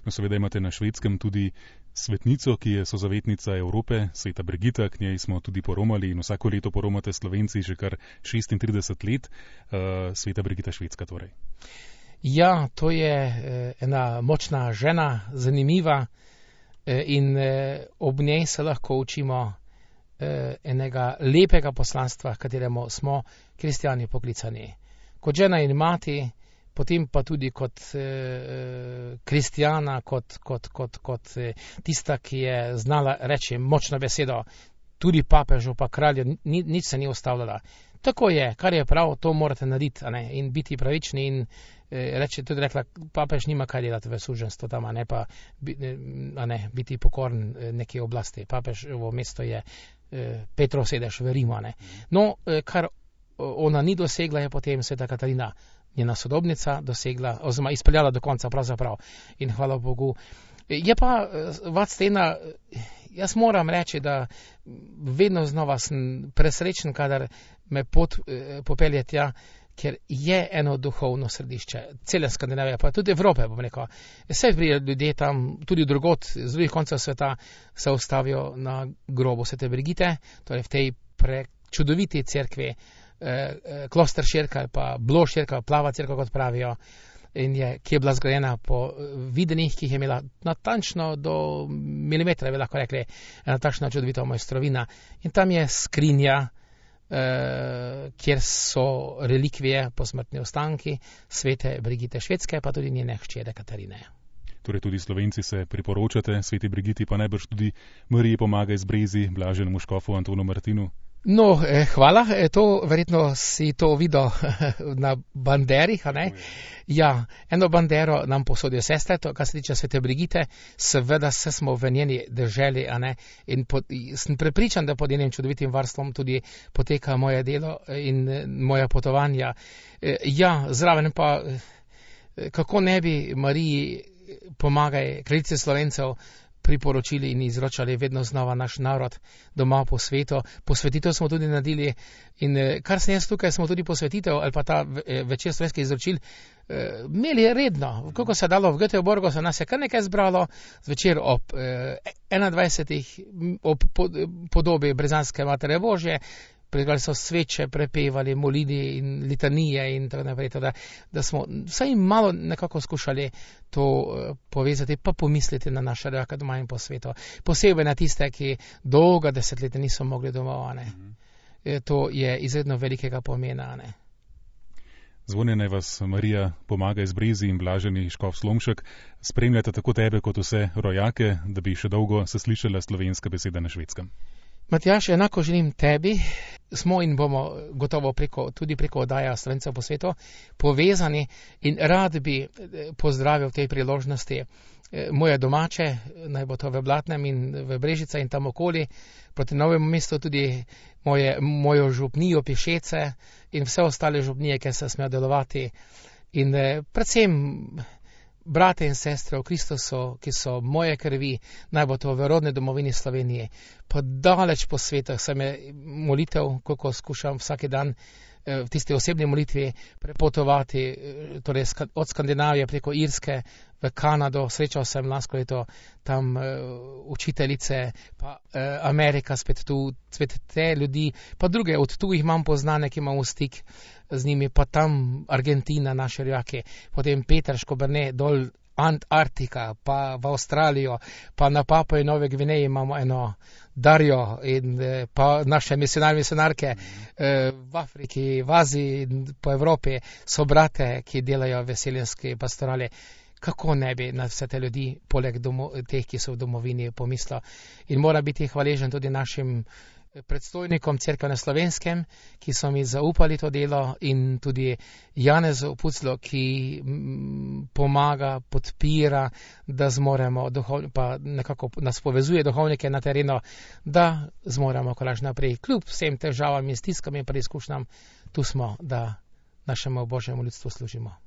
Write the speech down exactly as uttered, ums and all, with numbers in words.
No, seveda imate na Švedskem tudi svetnico, ki je sozavetnica Evrope, sveta Brigita, k njej smo tudi poromali in vsako leto poromate Slovenci že kar šestintrideset let. Uh, sveta Brigita Švedska torej. Ja, to je eh, ena močna žena, zanimiva eh, in eh, ob njej se lahko učimo eh, enega lepega poslanstva, kateremu smo kristijani poklicani. Kot žena in mati, potem pa tudi kot eh, kristijana, kot, kot, kot, kot eh, tista, ki je znala reči močno besedo, tudi papežu pa kralju, ni, nič se ni ustavljala. Tako je, kar je prav, to morate narediti, a ne, in biti pravični in eh, reči, tudi rekla, papež nima kaj delati v suženstvu tam, a ne pa a ne, biti pokoren neki oblasti. Papežovo mesto je eh, Petrov sedež v Rimu, a ne. No, eh, kar ona ni dosegla, je potem sveta Katarina, njena sodobnica, dosegla, oziroma izpeljala do konca pravzaprav. In hvala Bogu. Je pa, Vadstena, jaz moram reči, da vedno znova sem presrečen, kadar me pot eh, popelje tja, ker je eno duhovno središče, cele Skandinavije, pa tudi Evrope, bom rekel. Vse ljudje tam, tudi drugot, z drugih koncev sveta, se ustavijo na grobu svete Brigite, torej v tej prečudoviti cerkvi, eh, Kloster Šerka ali pa Blo Šerka, plava cerkev, kot pravijo, in je, ki je bila zgrajena po videnih, ki jih je imela natančno do milimetra, bi lahko rekli, ena takšna čudovita mojstrovina. In tam je skrinja, eh, kjer so relikvije, posmrtni ostanki svete Brigite Švedske, pa tudi njene hčere Katarine. Torej tudi Slovenci se priporočate sveti Brigiti, pa najbrž tudi Mariji Pomagaj z Brezi, blaženemu škofu Antonu Martinu. No, eh, hvala, eh, to verjetno si to videl na banderih, a ne? Ja, eno bandero nam posodijo sestre, to, kar se tiče svete Brigite, seveda se smo v njeni deželi, a ne? In pod, sem prepričan, da pod njenim čudovitim varstvom tudi poteka moje delo in eh, moja potovanja. Eh, ja, zraven pa, eh, kako ne bi Mariji Pomagaj, kraljici Slovencev, priporočili in izročali vedno znova naš narod doma po svetu. Posvetitev smo tudi naredili in kar sem jaz tukaj, smo tudi posvetitev ali pa ta večer slovenskih izročil eh, imeli redno. Koliko se je dalo v Göteborgu, se nas je kar nekaj zbralo, zvečer ob eh, enaindvajsetih ob podobi Brezanske Matere Božje, prigali so sveče, prepevali molili in litanije in tako naprej, da, da smo vsaj malo nekako skušali to uh, povezati, pa pomisliti na naše rojake doma in po svetu. Posebej na tiste, ki dolga desetletja niso mogli domov, ne. Mm-hmm. E, to je izredno velikega pomena, ne. Zvone naj vas Marija Pomagaj z Brezi in blaženi škof Slomšek spremljata tako tebe kot vse rojake, da bi še dolgo se slišala slovenska beseda na Švedskem. Matjaž, enako želim tebi, smo in bomo gotovo preko, tudi preko oddaja Slovencev po svetu povezani in rad bi pozdravil v tej priložnosti moje domače, naj bo to v Blatnem in v Brežica in tam okoli, proti Novemu mestu tudi moje, mojo župnijo Pišece in vse ostale župnije, ki se smejo delovati in predvsem brate in sestre v Kristusu, ki so moje krvi, naj bo to v rodni domovini Slovenije, pa daleč po svetu se me molitev, koliko skušam vsak dan v tisti osebni molitvi prepotovati, torej od Skandinavije preko Irske v Kanado, srečal sem lansko leto tam uh, učiteljice, pa uh, Amerika spet tu, spet te ljudi, pa druge od tu jih imam poznane, ki imam v stik z njimi, pa tam Argentina, naše rojake, potem Peterško, Brne, dol Antarktika, pa v Avstralijo, pa na Papui Nove Gvineji imamo eno Darjo in pa naše misionarje, misionarke mm. v Afriki, v Aziji in po Evropi so brate, ki delajo veseljenski pastorali. Kako ne bi na vse te ljudi, poleg domo, teh, ki so v domovini, pomislil. In mora biti hvaležen tudi našim predstojnikom Cerkve na Slovenskem, ki so mi zaupali to delo, in tudi Janezu Puclo, ki pomaga, podpira, da zmoremo, duhov, pa nekako nas povezuje duhovnike na terenu, da zmoremo korač naprej. Kljub vsem težavam in stiskam in preizkušnjam, tu smo, da našemu Božjemu ljudstvu služimo.